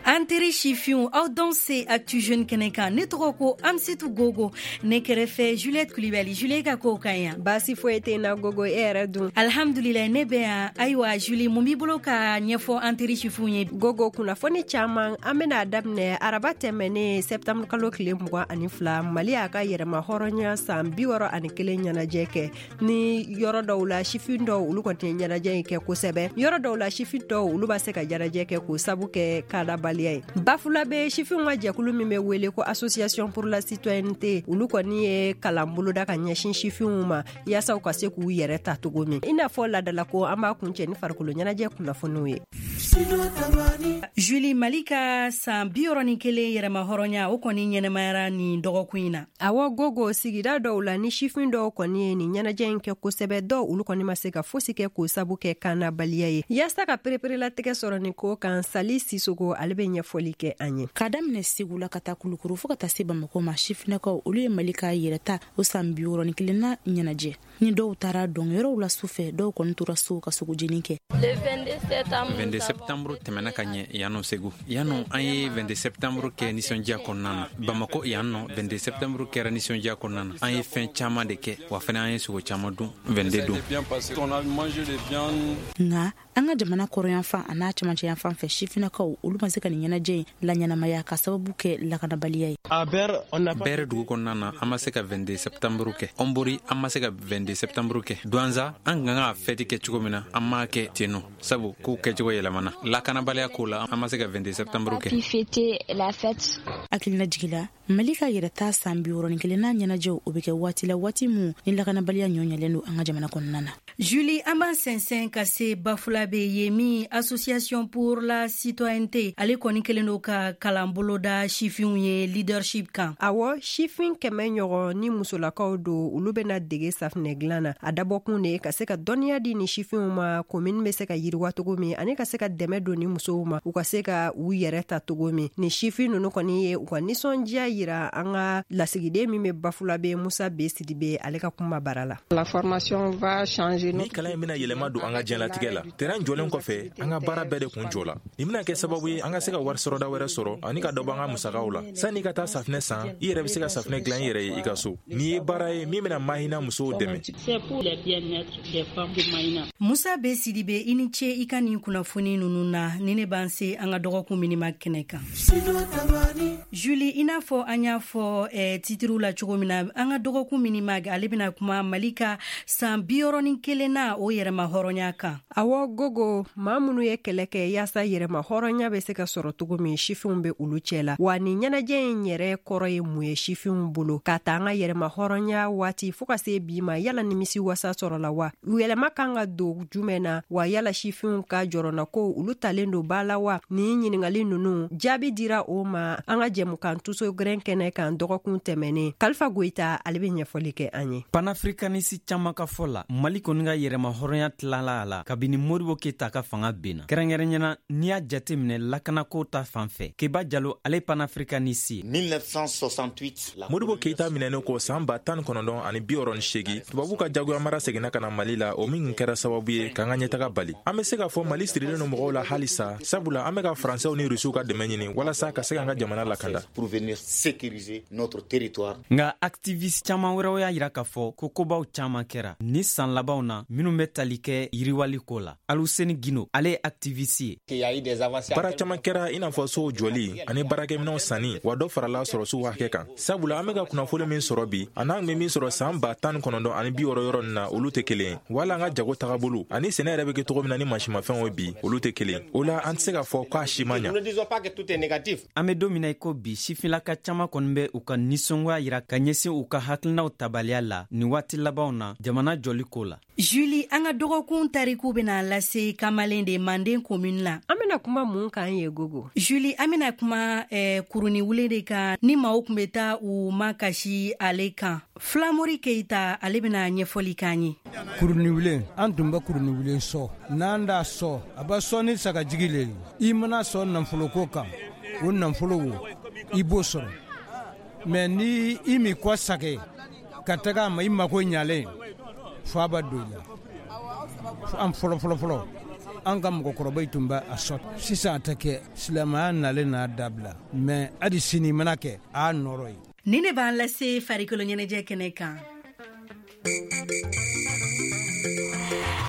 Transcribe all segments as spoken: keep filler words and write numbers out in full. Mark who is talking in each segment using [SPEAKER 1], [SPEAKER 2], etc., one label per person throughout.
[SPEAKER 1] An teri sifinw, aw danse Actu Jeunes kɛnɛ kan. Ne tɔgɔ ko Amsetu Gogo, ne kɛrɛfɛ Juliette Kulibali. Juliette, ka kow ka ɲi?
[SPEAKER 2] Baasi foyi tɛ na, Gogo. E yɛrɛ dun?
[SPEAKER 1] Alhamdulilayi, ne bɛ yan. Ayiwa Julie, mun b'i bolo ka ɲɛfɔ an teri sifinw ye?
[SPEAKER 2] Gogo, kunnafoni caman. An bena daminɛ araba tɛmɛnen, sɛptanburu kalo tile mugan ani fila, Mali y'a ka yɛrɛma hɔrɔnya san bi wɔrɔ ani kelen ɲɛnajɛ kɛ. Ni yɔrɔ dɔw la, sifin dɔw, olu kɔni tɛ ɲɛnajɛ in kɛ kosɛbɛ. Yɔrɔ dɔw la, sifin dɔw, olu b'a se ka ɲɛnajɛ kɛ k'o sabu kɛ kadabaliya ye. Bafulabe sifinw ka jɛkulu min bɛ wele ko Association pour la citoyenneté, olu kɔni ye kalan boloda ka ɲɛsin sifinw ma, yaasa u ka se k'u yɛrɛ ta cogo min. I n'a fɔ ladalako, an b'a kuncɛ ni farikolo ɲɛnajɛ kunnafoniw ye.
[SPEAKER 1] Julie, Mali ka san bi wɔɔrɔ ni kelen yɛrɛma hɔrɔnya, o kɔni ɲɛnɛmayara nin dɔgɔkun in na.
[SPEAKER 2] Awɔ Gogo, sigida dɔw la, ni sifin dɔw kɔni ye nin ɲɛnajɛ in kɛ kosɛbɛ, dɔw, olu kɔni ma se ka fosi kɛ k'o sabu kɛ kannabaliya ye. Yaasa ka pereperelatigɛ sɔrɔ nin ko kan, Sali Sisogo, ale bɛ ɲɛfɔli kɛ an ye.
[SPEAKER 3] K'a daminɛ Segu la ka taa Kulukuru fɔɔ ka taa se Bamako ma, sifinakaw, olu ye Mali ka yɛrɛta o san bi wɔɔrɔ ni kelenna ɲɛnajɛ. Ni dɔw taara dɔnkɛyɔrɔw la su fɛ, dɔw kɔni tora so ka sogojeni kɛ.
[SPEAKER 4] vingt-deux septembre tɛmɛna ka ɲɛ yan nɔ Segu. Yan nɔ, an ye vingt-deux septembre kɛ nisɔndiya kɔnɔna na. Bamako yan nɔ, vingt-deux septembre kɛra nisɔndiya kɔnɔna na. An ye fɛn caaman de kɛ, wa fɛnɛ an ye sogo caaman dun vingt-deux don.
[SPEAKER 3] Nka an ka jamana kɔrɔyanfan a n'a camancɛ yanfan fɛ, sifinakaw, olu ma se ka nin ɲɛnajɛ in laɲɛnamaya ka sababu kɛ lakanabaliya ye.
[SPEAKER 4] Bɛrɛ dugu kɔnɔna na, an ma se ka vingt-deux septembre kɛ. Ɔnbori, an ma se ka vingt-deux septembre kɛ. Duwanza, an kan ka fɛti kɛ cogo min na, an m'a kɛ ten nɔ, sabu kow kɛcogo yɛlɛmana lakanabaliya ko la. An ma se ka vingt-deux septembre kɛ.
[SPEAKER 3] Hakilina jigila, Mali ka yɛrɛta san bi wɔɔrɔ ni kelenna ɲɛnajɛw, o bɛ kɛ waati la, waati min ni lakanabaliya ɲɔ ɲɛlen don an ka jamana kɔnɔna na.
[SPEAKER 1] Julie, an b'an sɛnsɛn ka se Bafulabe ye min Association pour la citoyenneté, ale kɔni kelen do ka kalan boloda sifinw ye leadership kan.
[SPEAKER 2] Awɔ, sifin kɛmɛ ɲɔgɔn ni musolakaw don, olu bɛna dege safinɛ dilan na. A dabɔkun de ka se ka dɔnniya di ni sifinw ma, komin bɛ se ka yiriwa cogo min, ani ka se ka dɛmɛ don ni musow ma, u ka se ka u yɛrɛ ta cogo min. Ni sifin nunu kɔni ye u ka nisɔndiya yira an ka lasigiden min bɛ Bafulabe, Musa B Sidibe, ale ka kuma bara la.
[SPEAKER 5] La formation va changer.
[SPEAKER 6] Ni kalan in bɛna yɛlɛma don an ka diɲɛlatigɛ la. Terrain jɔlen kɔfɛ, an ka baara bɛɛ de kun jɔ la. Nin bɛna kɛ sababu ye an ka se ka wari sɔrɔda wɛrɛ sɔrɔ ani ka dɔ bɔ an ka musakaw la. Sanni ka taa safinɛ san, i yɛrɛ bɛ se ka safinɛ dilan i yɛrɛ ye i ka so. Nin ye baara ye min bɛna Mahina musow dɛmɛ.
[SPEAKER 1] Musa B Sidibe, i ni ce i ka nin kunnafoni nunu na. Ni ne b'an se an ka dɔgɔkun minima kɛnɛ kan. Julie, i n'a fɔ an y'a fɔ eh, titiriw la cogo min na, an ka dɔgɔkun minimag, ale bɛna kuma Mali ka san bi wɔɔrɔ ni kelen na, o yɛrɛma hɔrɔnya kan.
[SPEAKER 2] Awɔ Gogo, maa minnu ye kɛlɛ kɛ yaasa yɛrɛma hɔrɔnya bɛ se ka sɔrɔ cogo min, sifinw bɛ olu cɛ la. Wa nin ɲɛnajɛ in yɛrɛ kɔrɔ ye mun ye sifinw bolo, ka ta an ka yɛrɛma hɔrɔnya waati fɔɔ ka se bi ma? Yala nimisi wasa sɔrɔla wa? Yɛlɛma kan ka don jumɛn na? Wa yala sifinw ka jɔrɔna ko, olu talen don ba la wa? Nin ɲiningali nunu jaabi dira o ma an ka jɛmukan Tuso Gɛrɛn kɛnɛ kan dɔgɔkun tɛmɛnen. Kalifa Goyita, ale bɛ ɲɛfɔli kɛ an ye.
[SPEAKER 7] Panafricaniste caaman ka fɔ la, Mali kɔni ka yɛrɛma hɔrɔnya tilala a la kabini Modibo Keyita ka fanga benna. Kɛrɛnkɛrɛnyana, n'i y'a jate minɛ lakanako ta fan fɛ. Keba Jalo, ale panafricaniste ye.
[SPEAKER 8] mille neuf cent soixante-huit.
[SPEAKER 6] Modibo Keyita minɛnen kɔ saan ba tan ni kɔnɔntɔn ani bi wɔɔrɔ ni seegin, tubabu ka jagoya mara seginna ka na Mali la, o min kɛra sababu ye k'an ka ɲɛtaga bali. An be se k'a fɔ Mali sirilen no mɔgɔw la halisa, sabula an be ka Faransɛw ni Rusiw ka dɛmɛ ɲini walasa ka se k'an ka jamana lakanda.
[SPEAKER 8] Pour venir sécuriser notre territoire.
[SPEAKER 7] Nga activiste caaman wɛrɛw y'a yira k'a fɔ ko kobaw caaman kɛra ni san labanw na minnu bɛ tali kɛ yiriwali ko la. Aluseni Gino, ale ye activiste ye.
[SPEAKER 6] Baara caaman kɛra, i n'a fɔ sow jɔli ani baarakɛminɛw sanni, wa dɔ farala sɔrɔsiw hakɛ kan, sabula an be ka kunnafoni min sɔrɔ bi a n'an be min sɔrɔ saan ba tan ni kɔnɔntɔn ani bi wɔɔrɔ yɔrɔ nin na, olu tɛ kelen ye. Wala an ka jago tagabolo ani sɛnɛ yɛrɛ be kɛ cogo min na ni mansimafɛnw ye bi, olu tɛ kelen. O la, an tɛ se k'a fɔ k'a si ma ɲa.
[SPEAKER 7] An be don min na i ko bi, sifinlaka caaman kɔni bɛ u ka nisɔngoya yira ka ɲɛsin u ka hakilinaw tabaliya la nin waati labanw na jamana jɔli ko la.
[SPEAKER 1] Julie, an ka dɔgɔkun tariku bena lase Kamalen de Manden commune la.
[SPEAKER 2] An bena kuma mun kan ye, Gogo?
[SPEAKER 1] Julie, an bena kuma eh, kuruni wule de kan, ni maaw kun be taa u ma kasi ale kan. Filamori Keita, ale bena ɲɛfɔli k'an ye.
[SPEAKER 9] Kuruni wulen, an tun bɛ kuruni wulen sɔ. N'an d'a sɔ, a bɛ sɔ ni sagajigi le ye. I mana sɔ nafoloko kan, o nafolo wo, i b'o sɔrɔ. Mɛ ni i m'i kɔ sage ka taga a ma, i mako ɲalen fa b'a don i la. An fɔlɔ fɔlɔ fɔlɔ. An ka mɔgɔkɔrɔbaw tun bɛ a sɔn, sisan a tɛ kɛ. Silamɛya nalen n'a dabila, mɛ hali sini mana kɛ a nɔrɔ ye.
[SPEAKER 1] Ni ne b'an lase farikolo ɲɛnajɛ kɛnɛ kan.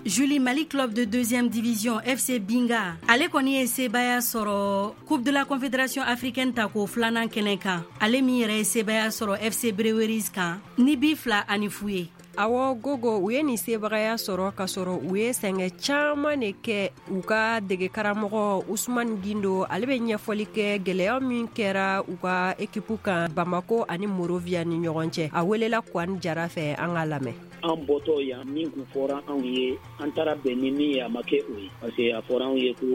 [SPEAKER 1] Julie, Mali club de deuxième division F C Binga ale kɔni ye sebaya sɔrɔ Coupe de la Confédération africaine ta ko filanan kɛnɛ kan, ale min yɛrɛ ye sebaya sɔrɔ F C Breweries kan ni bi fila ani fu ye.
[SPEAKER 2] Awɔ Gogo, u ye nin sebagaya sɔrɔ k'a sɔrɔ u ye sɛgɛn caman de kɛ. U ka dege karamɔgɔ Usman Gindo, ale bɛ ɲɛfɔli kɛ gɛlɛya min kɛra u ka ekipu kan Bamako ani Morovia ni ɲɔgɔn cɛ. A welela Kwani Jara fɛ, an ka lamɛn.
[SPEAKER 10] An bɔtɔ yan, min kun fɔra anw ye, an taara bɛn ni min ye, a ma kɛ o ye, parce que a fɔra anw ye ko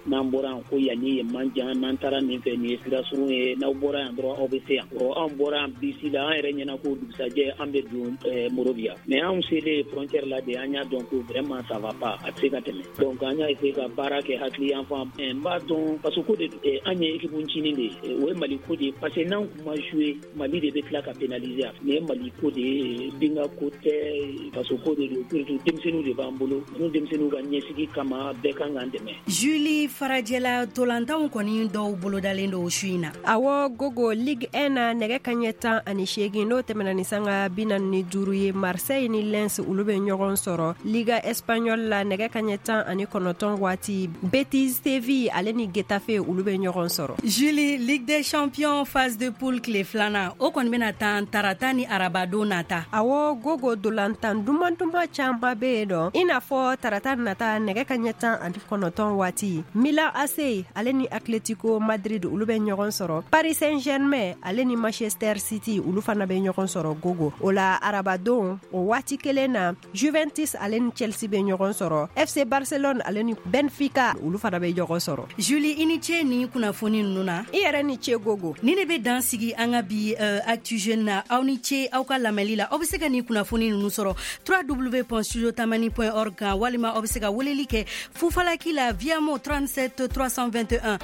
[SPEAKER 10] n'an bɔra yan, ko yan ni yen man jan, n'an taara nin fɛ, nin ye sira surun ye, n'aw bɔra yan dɔrɔn, aw bɛ se yan. Ɔ, anw bɔra yan bisi la, an yɛrɛ ɲɛna ko dugusajɛ an bɛ don Morovia, mais anw selen frontière la de, an y'a dɔn ko vraiment ça va pas, a tɛ se ka tɛmɛ. Donc an y'a essayer ka baara kɛ hakili yan fan. N b'a dɔn faso ko de don, an ye équipe ncinin de ye, o ye Mali ko de ye, parce que n'an kun ma jouer, Mali de bɛ tila ka pénaliser. Nin ye Mali ko de ye, Binga ko tɛ, faso ko de don. Surtout denmisɛnninw de b'an bolo, ninnu denmisɛnninw ka ɲɛsigi kama, bɛɛ kan k'an dɛmɛ.
[SPEAKER 1] Julie, farajɛla tolantanw kɔni dɔw bolodalen don su in na.
[SPEAKER 2] Awɔ Gogo, Ligue un na, nɛgɛ kaɲɛ tan ani seegin n'o tɛmɛna ni sanga bi naani ni duuru ye, Marseille ni Lens olu bɛ ɲɔgɔn sɔrɔ. Liga Espagnole la, nɛgɛ kaɲɛ tan ani kɔnɔntɔn waati, Betis Séville ale ni Getafe olu bɛ ɲɔgɔn sɔrɔ.
[SPEAKER 1] Julie, Ligue des Champions phase de poule tile filanan, o kɔni bɛna tan tarata ni arabadon nata.
[SPEAKER 2] Awɔ Gogo, dolantan duman duman caman bɛ yen dɔn, i n'a fɔ tarata nata nɛgɛ kaɲɛ tan ani kɔnɔntɔn waati, Milan A C ale ni Atletico Madrid olu bɛ ɲɔgɔn sɔrɔ. Paris Saint-Germain ale ni Manchester City olu fana bɛ ɲɔgɔn sɔrɔ Gogo. O la arabadon o waati kelen na, Juventus ale ni Chelsea bɛ ɲɔgɔn sɔrɔ, F C Barcelone ale ni Benfica olu fana bɛ ɲɔgɔn sɔrɔ.
[SPEAKER 1] Julie, i ni ce ni kunnafoni ninnu na.
[SPEAKER 2] I yɛrɛ ni ce Gogo.
[SPEAKER 1] Ni ne bɛ dan sigi an ka bi uh, Actu Jeune na. Aw ni ce aw ka lamɛnli la. Aw bɛ se ka nin kunnafoni ninnu sɔrɔ w w w point studio tamani point org kan, walima aw bɛ se ka weleli kɛ fufalaki la Viamo trente-sept trois cent vingt et un.